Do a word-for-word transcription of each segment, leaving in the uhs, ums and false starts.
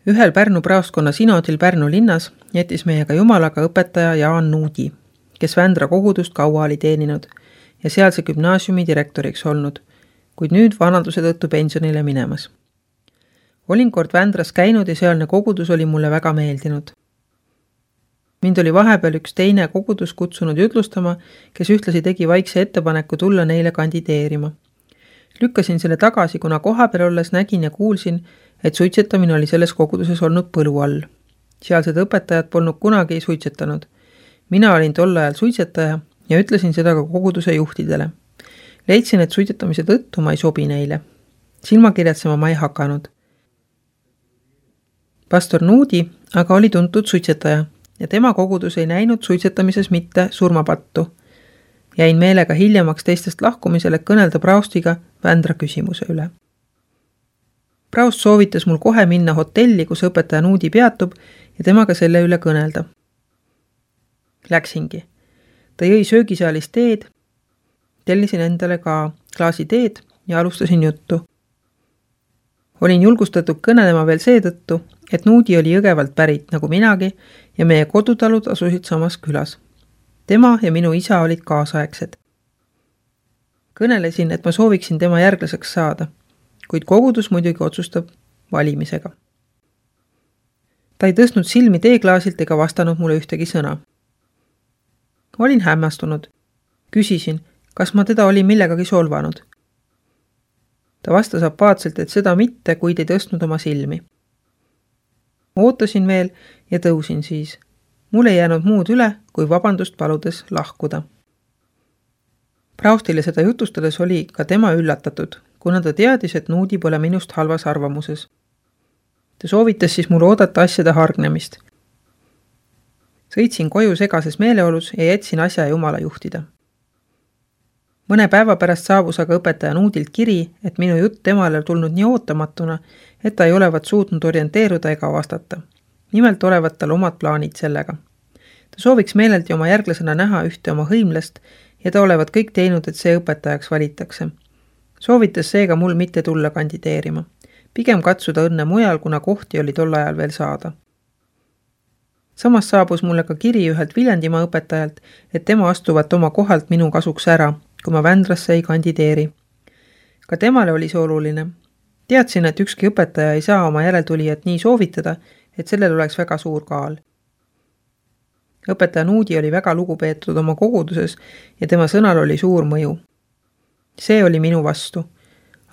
Ühel Pärnu praostkonna sinodil Pärnu linnas jättis meiega jumalaga õpetaja Jaan Nuudi, kes Vändra kogudust kaua oli teeninud ja sealse gümnaasiumi direktoriks olnud, kuid nüüd vanaduse tõttu pensionile minemas. Olin kord Vändras käinud ja sealne kogudus oli mulle väga meeldinud. Mind oli vahepeal üks teine kogudus kutsunud jutlustama, kes ühtlasi tegi vaikse ettepaneku tulla neile kandideerima. Lükkasin selle tagasi, kuna kohapeal olles nägin ja kuulsin, et suitsetamine oli selles koguduses olnud põlu all. Sealsed õpetajad polnud kunagi suitsetanud. Mina olin tol ajal suitsetaja ja ütlesin seda ka koguduse juhtidele. Leidsin, et suitsetamise tõttu ma ei sobi neile. Silmakirjatsema ma ei hakanud. Pastor Nuudi aga oli tuntud suitsetaja ja tema kogudus ei näinud suitsetamises mitte surmapattu. Jäin meelega hiljemaks teistest lahkumisel, et kõnelda praostiga Vändra küsimuse üle. Praost soovitas mul kohe minna hotelli, kus õpetaja Nuudi peatub ja temaga selle üle kõnelda. Läksingi. Ta jõi söögisaalis teed, tellisin endale ka klaasi teed ja alustasin juttu. Olin julgustatud kõnelema veel seetõttu, et Nuudi oli Jõgevalt pärit nagu minagi ja meie kodutalud asusid samas külas. Tema ja minu isa olid kaasaegsed. Kõnelesin, et ma sooviksin tema järglaseks saada, kuid kogudus muidugi otsustab valimisega. Ta ei tõstnud silmi teeklaasilt ega vastanud mulle ühtegi sõna. Olin hämmastunud. Küsisin, kas ma teda olin millegagi solvanud. Ta vastas apaatselt, et seda mitte, kuid ei tõstnud oma silmi. Ootasin veel ja tõusin siis. Mul ei jäänud muud üle, kui vabandust paludes lahkuda. Praostile seda jutustades oli ka tema üllatatud, kuna ta teadis, et Nuudi pole minust halvas arvamuses. Ta soovitas siis mul oodata asjade hargnemist. Sõitsin koju segases meeleolus ja jätsin asja jumala juhtida. Mõne päeva pärast saabus aga õpetaja Nuudilt kiri, et minu jutt temale tulnud nii ootamatuna, et ta ei olevat suutnud orienteeruda ega vastata. Nimelt olevat tal omad plaanid sellega. Ta sooviks meeleldi oma järglasena näha ühte oma hõimlast ja ta olevat kõik teinud, et see õpetajaks valitakse. Soovitas seega mul mitte tulla kandideerima. Pigem katsuda õnne mujal, kuna kohti oli tol ajal veel saada. Samas saabus mulle ka kiri ühelt Viljandimaa õpetajalt, et tema astuvat oma kohalt minu kasuks ära, kui ma Vändrasse ei kandideeri. Ka temale oli see oluline. Teadsin, et ükski õpetaja ei saa oma järeltulijat nii soovitada, et sellel oleks väga suur kaal. Õpetaja Nuudi oli väga lugupeetud oma koguduses ja tema sõnal oli suur mõju. See oli minu vastu,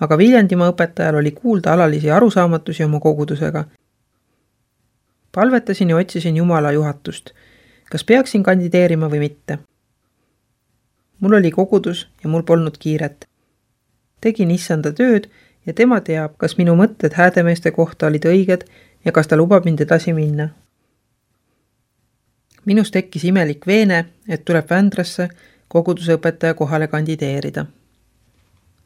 aga Viljandimaa õpetajal oli kuulda alalisi arusaamatusi oma kogudusega. Palvetasin ja otsisin Jumala juhatust, kas peaksin kandideerima või mitte. Mul oli kogudus ja mul polnud kiiret. Tegin issanda tööd ja tema teab, kas minu mõtted häädemeeste kohta olid õiged ja kas ta lubab mind edasi minna. Minus tekkis imelik veene, et tuleb Vändrasse koguduse õpetaja kohale kandideerida.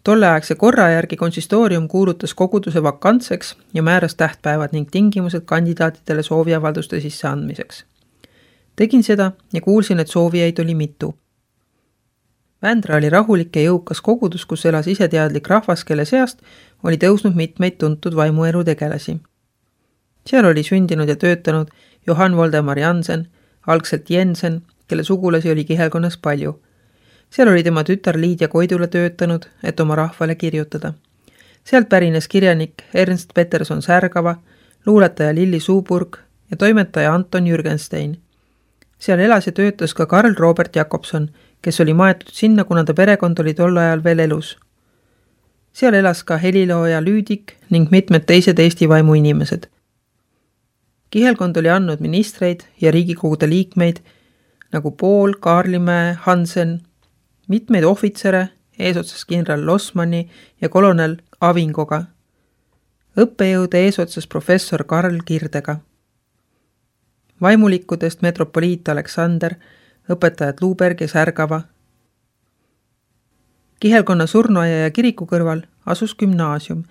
Tolleaegse korra järgi konsistoorium kuulutas koguduse vakantseks ja määras tähtpäevad ning tingimused kandidaatidele sooviavalduste sisse andmiseks. Tegin seda ja kuulsin, et soovijaid oli mitu. Vändra oli rahulik ja jõukas kogudus, kus elas iseteadlik rahvas, kelle seast oli tõusnud mitmeid tuntud vaimuelu tegelasi. Seal oli sündinud ja töötanud Johann Voldemar Jansen, algselt Jensen, kelle sugulasi oli Kihelkonnas palju. Seal oli tema tütar Liidia Koidula töötanud, et oma rahvale kirjutada. Sealt pärines kirjanik Ernst Peterson Särgava, luuletaja Lilli Suuburg ja toimetaja Anton Jürgenstein. Seal elas ja töötas ka Karl Robert Jakobson, kes oli maetud sinna, kuna ta perekond oli tol ajal veel elus. Seal elas ka helilooja Lüüdik ning mitmed teised Eesti vaimu inimesed. Kihelkond oli andnud ministreid ja riigikogude liikmeid nagu Pool, Kaarlimäe, Hansen, mitmeid ohvitsere, eesotsas kindral Losmani ja kolonel Avingoga, õppejõude eesotsas professor Karl Kirdega, vaimulikudest metropoliit Aleksander, õpetajad Luuberg ja Särgava. Kihelkonna surnuaia ja kiriku kõrval asus gümnaasium,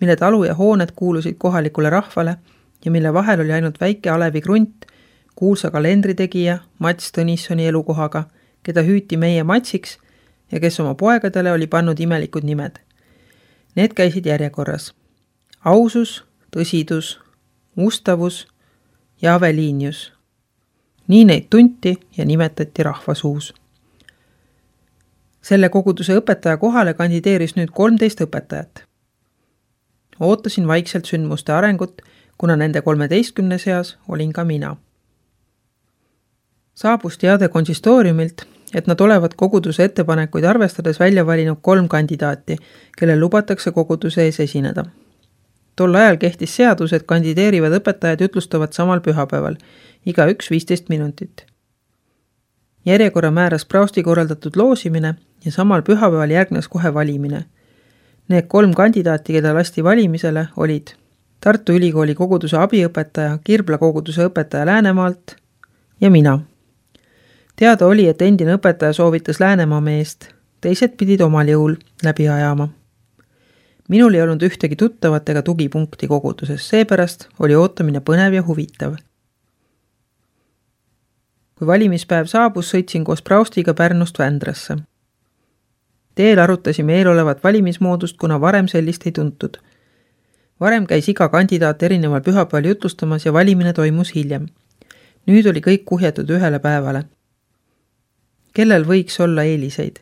mille talu ja hooned kuulusid kohalikule rahvale ja mille vahel oli ainult väike Alevi Krunt, kuulsa kalendritegija Mats Tõnissoni elukohaga, keda hüüti meie Matsiks ja kes oma poegadele oli pannud imelikud nimed. Need käisid järjekorras. Ausus, tõsidus, Ustavus ja Aveliinius. Nii neid tunti ja nimetati rahvasuus. Selle koguduse õpetaja kohale kandideeris nüüd kolmteist õpetajat. Ootasin vaikselt sündmuste arengut, kuna nende kolmeteistkümne seas olin ka mina. Saabus teade konsistooriumilt, et nad olevat koguduse ettepanekuid arvestades välja valinud kolm kandidaati, kellel lubatakse koguduse ees esineda. Tol ajal kehtis seadus, et kandideerivad õpetajad jutlustavad samal pühapäeval, iga üks viisteist minutit. Järjekorra määras praosti korraldatud loosimine ja samal pühapäeval järgnes kohe valimine. Need kolm kandidaati, keda lasti valimisele, olid Tartu Ülikooli koguduse abiõpetaja, Kirbla koguduse õpetaja Läänemaalt ja mina. Teada oli, et endine õpetaja soovitas Läänemaa meest, teised pidid omal jõul läbi ajama. Minul ei olnud ühtegi tuttavat ega tugipunkti koguduses, seepärast oli ootamine põnev ja huvitav. Kui valimispäev saabus, sõitsin koos praostiga Pärnust Vändrasse. Teel arutasime eelolevat valimismoodust, kuna varem sellist ei tuntud. Varem käis iga kandidaat erineval pühapäeval jutlustamas ja valimine toimus hiljem. Nüüd oli kõik kuhjatud ühele päevale. Kellel võiks olla eeliseid?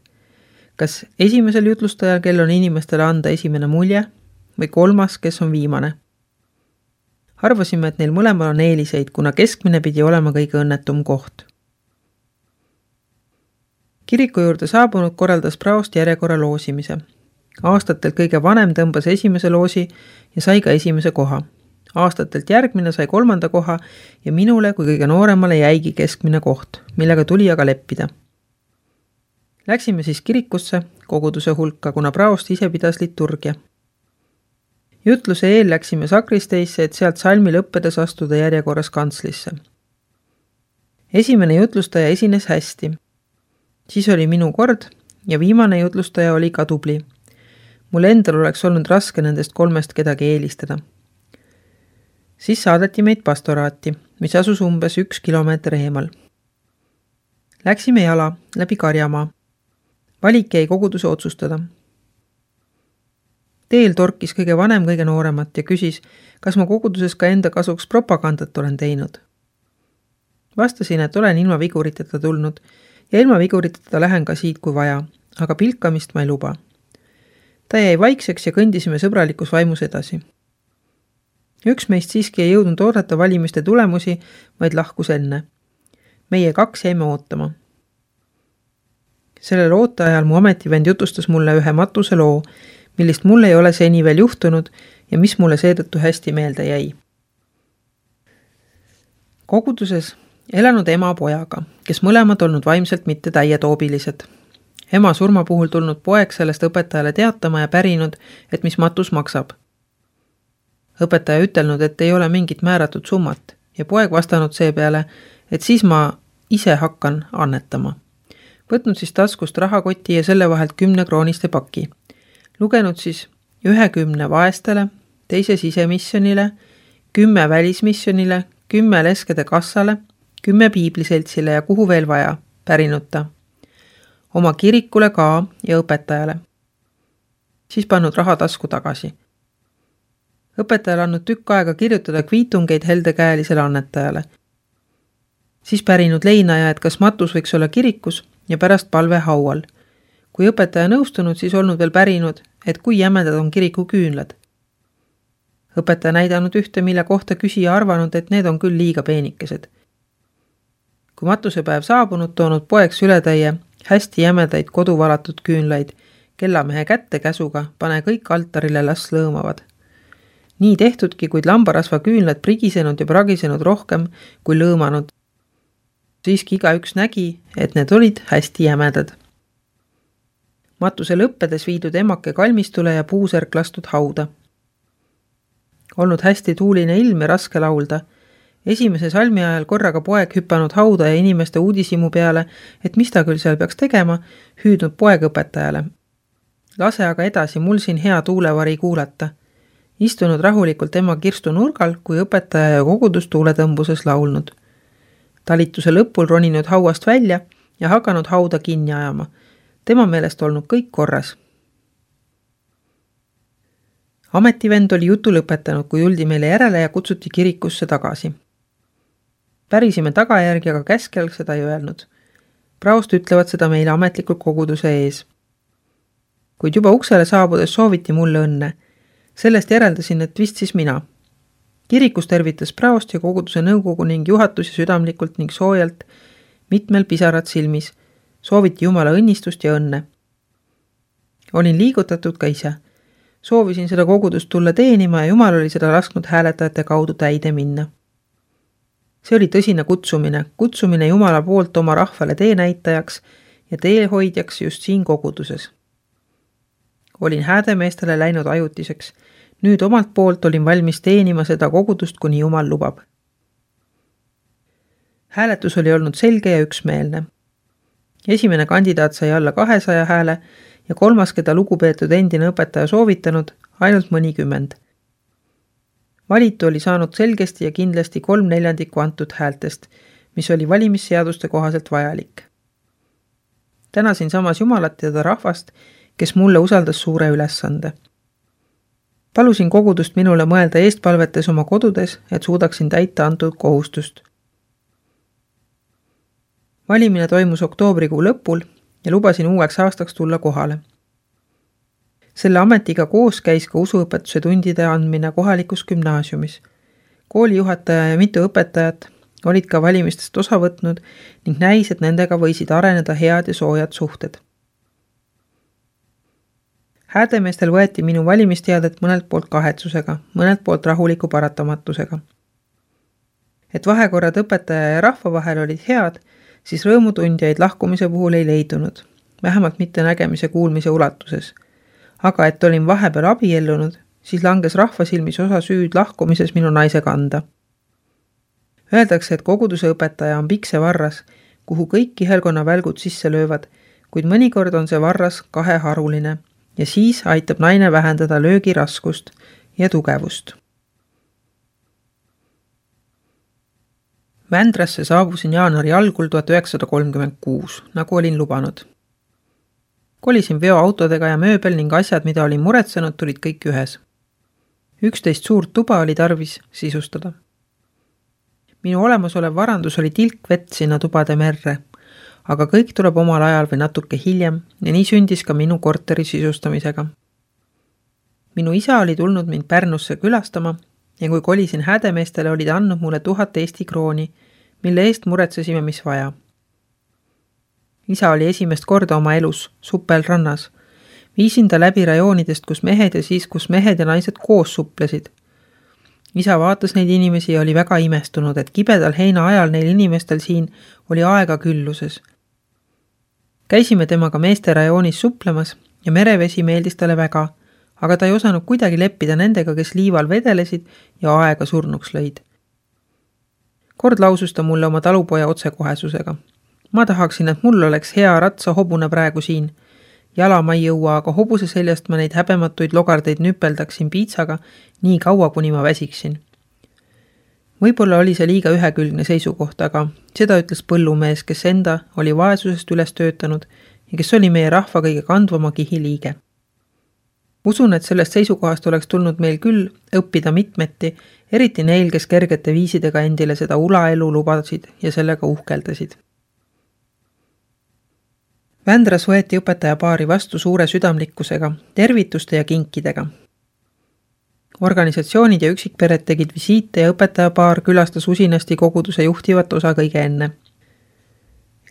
Kas esimesel jutlustajal, kel on inimestele anda esimene mulje, või kolmas, kes on viimane? Arvasime, et neil mõlemal on eeliseid, kuna keskmine pidi olema kõige õnnetum koht. Kiriku juurde saabunud korraldas praost järjekorra loosimise. Aastatelt kõige vanem tõmbas esimese loosi ja sai ka esimese koha. Aastatelt järgmine sai kolmanda koha ja minule kui kõige nooremale jäigi keskmine koht, millega tuli aga leppida. Läksime siis kirikusse, koguduse hulka, kuna praost ise pidas liturgia. Jutluse eel läksime sakristeisse, et sealt salmi lõppedes astuda järjekorras kantslisse. Esimene jutlustaja esines hästi. Siis oli minu kord ja viimane jutlustaja oli ka tubli. Mul endal oleks olnud raske nendest kolmest kedagi eelistada. Siis saadeti meid pastoraati, mis asus umbes üks kilomeeter eemal. Läksime jala läbi Karjamaa. Valik jäi koguduse otsustada. Teel torkis kõige vanem kõige nooremat ja küsis, kas ma koguduses ka enda kasuks propagandat olen teinud. Vastasin, et olen ilma viguriteta tulnud ja ilma viguriteta lähen ka siit kui vaja, aga pilkamist ma ei luba. Ta jäi vaikseks ja kõndisime sõbralikus vaimus edasi. Üks meist siiski ei jõudnud oodata valimiste tulemusi, vaid lahkus enne. Meie kaks jäime ootama. Sellel ooteajal mu ametivend jutustas mulle ühe matuse loo, millist mul ei ole seni veel juhtunud ja mis mulle seetõttu hästi meelde jäi. Koguduses elanud ema pojaga, kes mõlemad olnud vaimselt mitte täietoobilised. Ema surma puhul tulnud poeg sellest õpetajale teatama ja pärinud, et mis matus maksab. Õpetaja ütelnud, et ei ole mingit määratud summat ja poeg vastanud seepeale, et siis ma ise hakkan annetama. Võtnud siis taskust rahakoti ja selle vahelt kümne krooniste paki. Lugenud siis ühe kümne vaestele, teise sisemissionile, kümme välismissionile, kümme leskede kassale, kümme piibliseltsile ja kuhu veel vaja, pärinud ta. Oma kirikule ka ja õpetajale. Siis pannud raha tasku tagasi. Õpetajale andnud tükk aega kirjutada kviitungeid heldekäelisele annetajale. Siis pärinud leinaja, et kas matus võiks olla kirikus ja pärast palve haual. Kui õpetaja nõustunud, siis olnud veel pärinud, et kui jämedad on kiriku küünlad. Õpetaja näidanud ühte, mille kohta küsija arvanud, et need on küll liiga peenikesed. Kui matusepäev saabunud, toonud poeg sületäie hästi jämedaid koduvalatud küünlaid, kellamehe kätte käsuga, pane kõik altarile, las lõõmavad. Nii tehtudki, kuid lambarasva küünlad prigisenud ja pragisenud rohkem kui lõõmanud. Siiski iga üks nägi, et need olid hästi jämedad. Matuse lõppedes viidud emake kalmistule ja puuserk lastud hauda. Olnud hästi tuuline ilm ja raske laulda. Esimese salmi ajal korraga poeg hüppanud hauda ja inimeste uudisimu peale, et mis ta küll seal peaks tegema, hüüdnud poeg õpetajale. Lase aga edasi, mul siin hea tuulevari kuulata. Istunud rahulikult ema kirstu nurgal, kui õpetaja ja kogudus tuuletõmbuses laulnud. Talituse lõpul roninud hauast välja ja hakanud hauda kinni ajama. Tema meelest olnud kõik korras. Ametivend oli jutu lõpetanud, kui tuldi meile järele ja kutsuti kirikusse tagasi. Pärisime tagajärgi, aga käskjal seda ei öelnud. Praost ütlevad seda meile ametlikult koguduse ees. Kuid juba uksele saabudes sooviti mulle õnne. Sellest järeldasin, et vist siis mina. Kirikus tervitas praost ja koguduse nõukogu ning juhatusi südamlikult ning soojalt, mitmel pisarad silmis. Sooviti Jumala õnnistust ja õnne. Olin liigutatud ka ise. Soovisin seda kogudust tulla teenima ja Jumal oli seda lasknud hääletajate kaudu täide minna. See oli tõsine kutsumine, kutsumine Jumala poolt oma rahvale teenäitajaks ja teehoidjaks just siin koguduses. Olin häädemeestele läinud ajutiseks. Nüüd omalt poolt olin valmis teenima seda kogudust, kuni Jumal lubab. Hääletus oli olnud selge ja üksmeelne. Esimene kandidaat sai alla kahesaja hääle ja kolmas, keda lugupeetud endine õpetaja soovitanud, ainult mõnikümmend. Valitu oli saanud selgesti ja kindlasti kolm neljandikku antud häältest, mis oli valimisseaduste kohaselt vajalik. Tänasin samas Jumalat ja ta rahvast, kes mulle usaldas suure ülesande. Palusin kogudust minule mõelda eestpalvetes oma kodudes, et suudaksin täita antud kohustust. Valimine toimus oktoobrikuu lõpul ja lubasin uueks aastaks tulla kohale. Selle ametiga koos käis ka usuõpetuse tundide andmine kohalikus gümnaasiumis. Koolijuhataja ja mitu õpetajat olid ka valimistest osa võtnud ning näis, et nendega võisid areneda head ja soojad suhted. Häädemeestel võeti minu valimisteadet mõnelt poolt kahetsusega, mõnelt poolt rahuliku paratamatusega. Et vahekorrad õpetaja ja rahva vahel olid head, siis rõõmutundjaid lahkumise puhul ei leidunud, vähemalt mitte nägemise kuulmise ulatuses. Aga et olin vahepeal abiellunud, siis langes rahva silmis osa süüd lahkumises minu naise kanda. Öeldakse, et koguduse õpetaja on pikse varras, kuhu kõik kihelkonna välgud sisse löövad, kuid mõnikord on see varras kaheharuline ja siis aitab naine vähendada löögi raskust ja tugevust. Vändrasse saabusin jaanuari algul tuhat üheksasada kolmkümmend kuus, nagu olin lubanud. Kolisin veoautodega ja mööbel ning asjad, mida olin muretsenud, tulid kõik ühes. Üksteist suurt tuba oli tarvis sisustada. Minu olemasolev varandus oli tilk vett sinna tubade merre, aga kõik tuleb omal ajal või natuke hiljem ja nii sündis ka minu korteri sisustamisega. Minu isa oli tulnud mind Pärnusse külastama ja kui kolisin häädemeestele, olid andnud mulle tuhat Eesti krooni, mille eest muretsesime, mis vaja. Isa oli esimest korda oma elus, suppel rannas. Viisin ta läbi rajoonidest, kus mehed ja siis, kus mehed ja naised koos supplesid. Isa vaatas neid inimesi ja oli väga imestunud, et kibedal heina ajal neil inimestel siin oli aega külluses. Käisime temaga meeste rajoonis suplemas ja merevesi meeldis talle väga, aga ta ei osanud kuidagi leppida nendega, kes liival vedelesid ja aega surnuks lõid. Kord lausus ta mulle oma talupoja otsekohesusega. Ma tahaksin, et mul oleks hea ratsa hobune praegu siin. Jala ma ei jõua, aga hobuse seljast ma neid häbematuid logardeid nüpeldaksin piitsaga nii kaua, kuni ma väsiksin. Võib-olla oli see liiga ühekülgne seisukoht, aga seda ütles põllumees, kes enda oli vaesusest üles töötanud ja kes oli meie rahva kõige kandvama kihi liige. Usun, et sellest seisukohast oleks tulnud meil küll õppida mitmeti, eriti neil, kes kergete viisidega endile seda ulaelu lubasid ja sellega uhkeldasid. Vändras võeti õpetaja paari vastu suure südamlikkusega, tervituste ja kinkidega. Organisatsioonid ja üksikpered tegid visiite ja õpetaja paar külastas usinasti koguduse juhtivat osa kõige enne.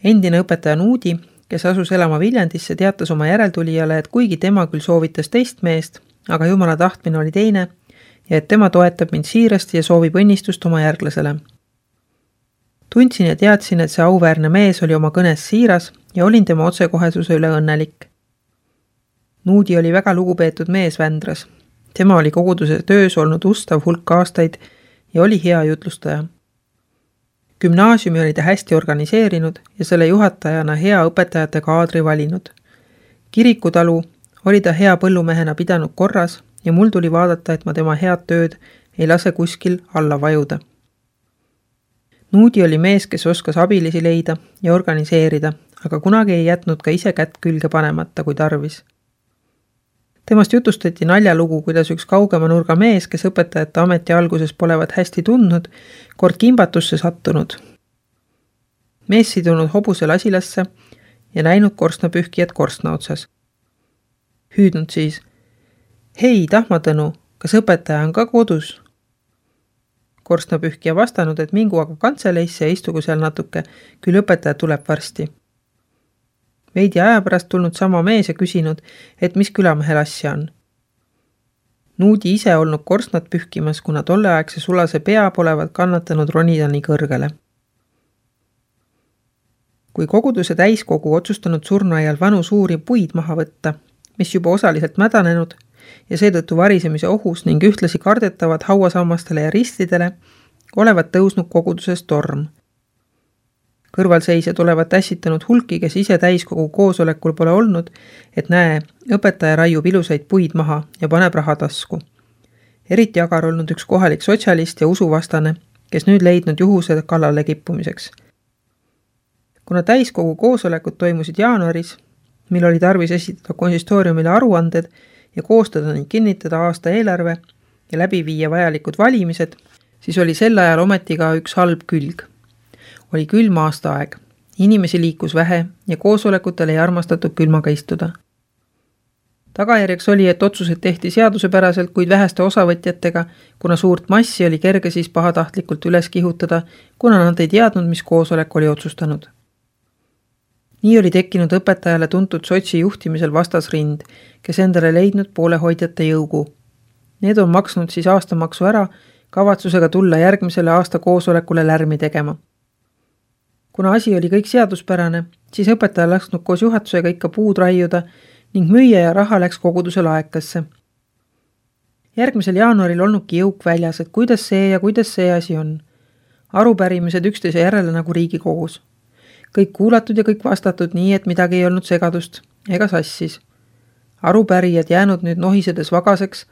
Endine õpetaja Nuudi, kes asus elama Viljandisse, teatas oma järeltulijale, et kuigi tema küll soovitas teist meest, aga Jumala tahtmine oli teine ja et tema toetab mind siirasti ja soovib õnnistust oma järglasele. Tundsin ja teadsin, et see auväärne mees oli oma kõnes siiras ja olin tema otsekohesuse üle õnnelik. Nuudi oli väga lugupeetud mees Vändras. Tema oli koguduse töös olnud ustav hulk aastaid ja oli hea jutlustaja. Gümnaasiumi oli ta hästi organiseerinud ja selle juhatajana hea õpetajate kaadri valinud. Kirikutalu oli ta hea põllumehena pidanud korras ja mul tuli vaadata, et ma tema head tööd ei lase kuskil alla vajuda. Nuudi oli mees, kes oskas abilisi leida ja organiseerida, aga kunagi ei jätnud ka ise kätt külge panemata, kui tarvis. Temast jutustati naljalugu, kuidas üks kaugema nurga mees, kes õpetajate ameti alguses polevat hästi tundnud, kord kimbatusse sattunud. Mees sidunud hobuse lasilasse ja näinud korstnapühkijat korstna otsas. Hüüdnud siis, hei, Tahmatõnu, kas õpetaja on ka kodus? Korstnapühkija vastanud, et mingu aga kantseleisse ja istugu seal natuke, küll õpetaja tuleb varsti. Veidi aja pärast tulnud sama mees ja küsinud, et mis külamehel asja on. Nuudi ise olnud korstnat pühkimas, kuna tolleaegse sulase pea polevat kannatanud ronida nii kõrgele. Kui koguduse täiskogu otsustanud surnuaial vanu suuri puid maha võtta, mis juba osaliselt mädanenud ja seetõttu varisemise ohus ning ühtlasi kardetavad hauasammastele ja ristidele, olevat tõusnud koguduses torm. Kõrvalseisjad olevat ässitanud hulki, kes ise täiskogu koosolekul pole olnud, et näe, õpetaja raiub ilusaid puid maha ja paneb raha tasku. Eriti agar olnud üks kohalik sotsialist ja usuvastane, kes nüüd leidnud juhuse kallale kippumiseks. Kuna täiskogu koosolekud toimusid jaanuaris, mil oli tarvis esitada konsistooriumile aruanded ja koostada ning kinnitada aasta eelarve ja läbi viia vajalikud valimised, siis oli sel ajal ometi ka üks halb külg. Oli külm aastaaeg, inimesi liikus vähe ja koosolekutel ei armastatud külmaga istuda. Tagajärjeks oli, et otsused tehti seadusepäraselt, kuid väheste osavõtjatega, kuna suurt massi oli kerge siis pahatahtlikult üles kihutada, kuna nad ei teadnud, mis koosolek oli otsustanud. Nii oli tekkinud õpetajale tuntud sotsi juhtimisel vastasrind, kes endale leidnud poolehoidjate jõugu. Need on maksnud siis aastamaksu ära, kavatsusega tulla järgmisele aasta koosolekule lärmi tegema. Kuna asi oli kõik seaduspärane, siis õpetaja lasknud koos juhatusega ikka puud raiuda ning müüa ja raha läks koguduse laekasse. Järgmisel jaanuaril olnudki jõuk väljas, et kuidas see ja kuidas see asi on. Arupärimised üksteise järele nagu Riigikogus. Kõik kuulatud ja kõik vastatud nii, et midagi ei olnud segadust ega sassis. Arupärijad jäänud nüüd nohisedes vagaseks,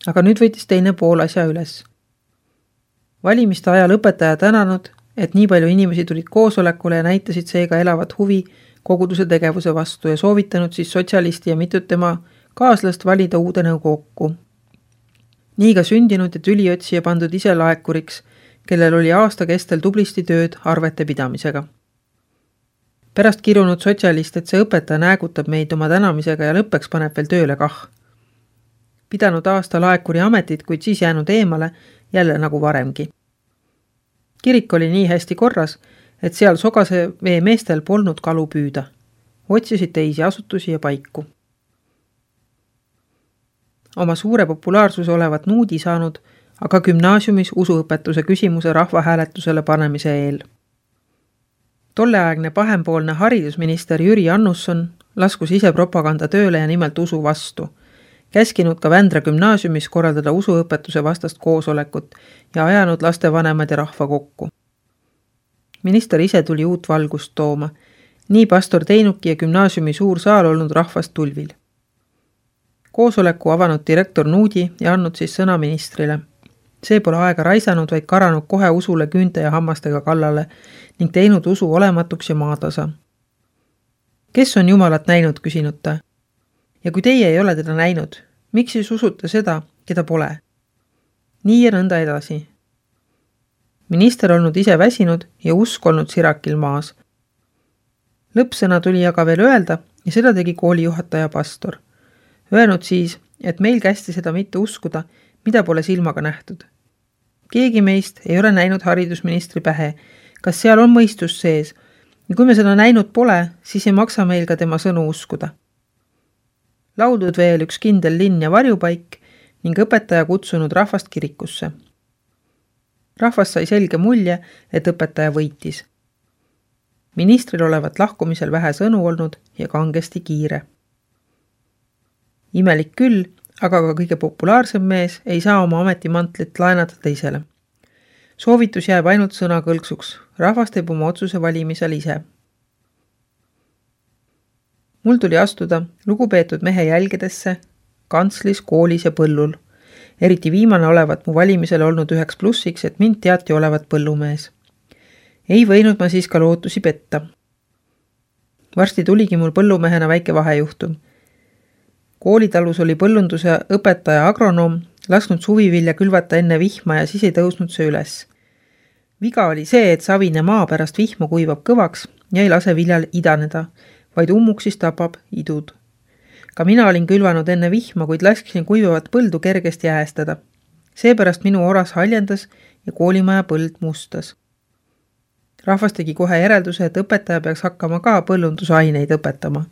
aga nüüd võitis teine pool asja üles. Valimiste ajal õpetaja tänanud, et nii palju inimesi tulid koosolekule ja näitasid seega elavat huvi koguduse tegevuse vastu ja soovitanud siis sotsialisti ja mitut tema kaaslast valida uude nõukokku. Nii ka sündinud ja tüliotsija pandud ise laekuriks, kellel oli aasta kestel tublisti tööd arvete pidamisega. Pärast kirunud sotsialist, et see õpetaja näägutab meid oma tänamisega ja lõppeks paneb veel tööle kah. Pidanud aasta laekuri ametit, kuid siis jäänud eemale, jälle nagu varemgi. Kirik oli nii hästi korras, et seal sogase vee meestel polnud kalu püüda. Otsisid teisi asutusi ja paiku. Oma suure populaarsuse olevat nuudi saanud, aga gümnaasiumis usuõpetuse küsimuse rahvahääletusele panemise eel. Tolleaegne pahempoolne haridusminister Jüri Annusson laskus ise propaganda tööle ja nimelt usu vastu. Käskinud ka Vändra gümnaasiumis korraldada usuõpetuse vastast koosolekut ja ajanud lastevanemad ja rahva kokku. Minister ise tuli uut valgust tooma. Nii pastor teinuki ja gümnaasiumi suur saal olnud rahvast tulvil. Koosoleku avanud direktor Nuudi ja andnud siis sõna ministrile. See pole aega raisanud, vaid karanud kohe usule küünte ja hammastega kallale ning teinud usu olematuks ja maatasa. Kes on Jumalat näinud, küsinud ta. Ja kui teie ei ole teda näinud, miks siis usute seda, keda pole? Nii ja nõnda edasi. Minister olnud ise väsinud ja usk olnud sirakil maas. Lõppsõna tuli aga veel öelda ja seda tegi koolijuhataja pastor. Öelnud siis, et meil kästi seda mitte uskuda, mida pole silmaga nähtud. Keegi meist ei ole näinud haridusministri pähe, kas seal on mõistus sees, ja kui me seda näinud pole, siis ei maksa meil ka tema sõnu uskuda. Laudud veel üks kindel linn ja varjupaik ning õpetaja kutsunud rahvast kirikusse. Rahvas sai selge mulje, et õpetaja võitis. Ministril olevat lahkumisel vähe sõnu olnud ja kangesti kiire. Imelik küll, aga ka kõige populaarsem mees ei saa oma ametimantlit laenata teisele. Soovitus jääb ainult sõna kõlksuks, rahvas teeb oma otsuse valimisel ise. Mul tuli astuda lugupeetud mehe jälgedesse, kantslis, koolis ja põllul. Eriti viimane olevat mu valimisel olnud üheks plussiks, et mind teati olevat põllumees. Ei võinud ma siis ka lootusi petta. Varsti tuligi mul põllumehena väike vahejuhtum. Koolitalus oli põllunduse õpetaja agronoom lasknud suvivilja külvata enne vihma ja siis ei tõusnud see üles. Viga oli see, et savine maa pärast vihma kuivab kõvaks ja ei lase viljal idaneda, vaid ummuksis tapab idud. Ka mina olin külvanud enne vihma, kuid laskisin kuivavat põldu kergesti jäästada. Seepärast minu oras haljendas ja koolimaja põld mustas. Rahvas tegi kohe järelduse, et õpetaja peaks hakkama ka põllundusaineid õpetama.